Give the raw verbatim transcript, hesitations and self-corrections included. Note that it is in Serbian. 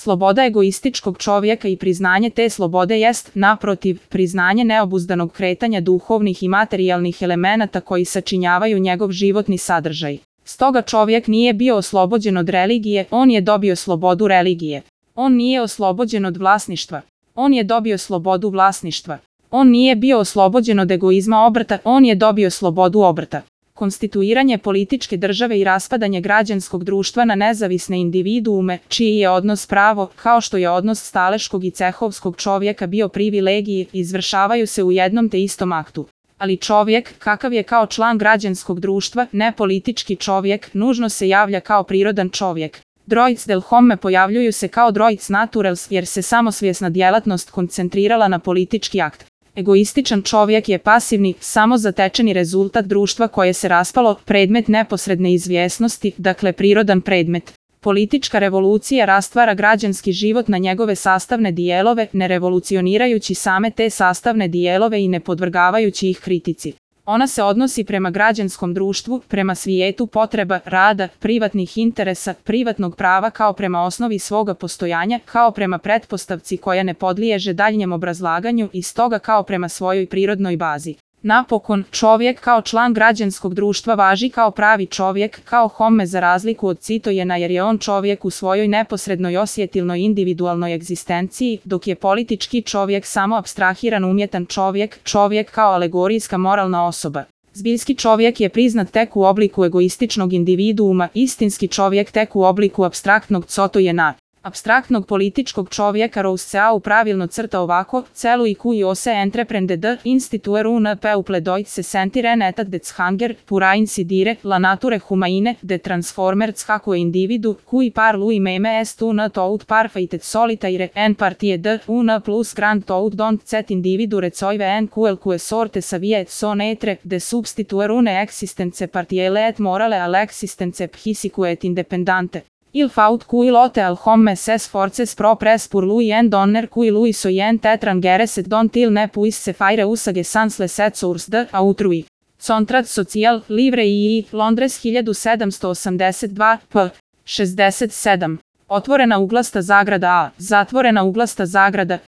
Sloboda egoističkog čovjeka i priznanje te slobode jest, naprotiv, priznanje neobuzdanog kretanja duhovnih i materijalnih elemenata koji sačinjavaju njegov životni sadržaj. Stoga čovjek nije bio oslobođen od religije, on je dobio slobodu religije. On nije oslobođen od vlasništva, on je dobio slobodu vlasništva. On nije bio oslobođen od egoizma obrta, on je dobio slobodu obrta. Konstituiranje političke države i raspadanje građanskog društva na nezavisne individuume, čiji je odnos pravo, kao što je odnos staleškog i cehovskog čovjeka bio privilegije, izvršavaju se u jednom te istom aktu. Ali čovjek, kakav je kao član građanskog društva, ne politički čovjek, nužno se javlja kao prirodan čovjek. Droic del homme pojavljuju se kao droic naturals jer se samosvjesna djelatnost koncentrirala na politički akt. Egoističan čovjek je pasivni, samozatečeni rezultat društva koje se raspalo, predmet neposredne izvjesnosti, dakle prirodan predmet. Politička revolucija rastvara građanski život na njegove sastavne dijelove, ne revolucionirajući same te sastavne dijelove i ne podvrgavajući ih kritici. Ona se odnosi prema građanskom društvu, prema svijetu potreba, rada, privatnih interesa, privatnog prava kao prema osnovi svoga postojanja, kao prema pretpostavci koja ne podliježe daljnjem obrazlaganju i stoga kao prema svojoj prirodnoj bazi. Napokon, čovjek kao član građanskog društva važi kao pravi čovjek, kao homme za razliku od citojena jer je on čovjek u svojoj neposrednoj osjetilnoj individualnoj egzistenciji, dok je politički čovjek samo apstrahiran umjetan čovjek, čovjek kao alegorijska moralna osoba. Zbiljski čovjek je priznat tek u obliku egoističnog individuuma, istinski čovjek tek u obliku apstraktnog cotojena. Apstraktnog političkog čovjeka Rousseau pravilno crta ovako, celu i cui ose entreprende d instituer un peu pledoit se sentire netat de zhanger, pura insidire, la nature humaine, de transformerz hacue individu, cui par lui meme est un tout parfaitet solitaire, en partie d un plus grand tout dont cet individu recoive en quelque sorte savie et son etre, de substituer une existence partielle et morale al existence psychique et independante. Il faut cui lote al homme ses forces propres pour lui en donner cui lui soyen tetrangeres et dont il ne puisse se faire usage sans les sept sources de autrui. Contrat social, livre i Londres hiljadu sedamsto osamdeset dva, p. šezdeset sedam. Otvorena uglasta zagrada a, zatvorena uglasta zagrada,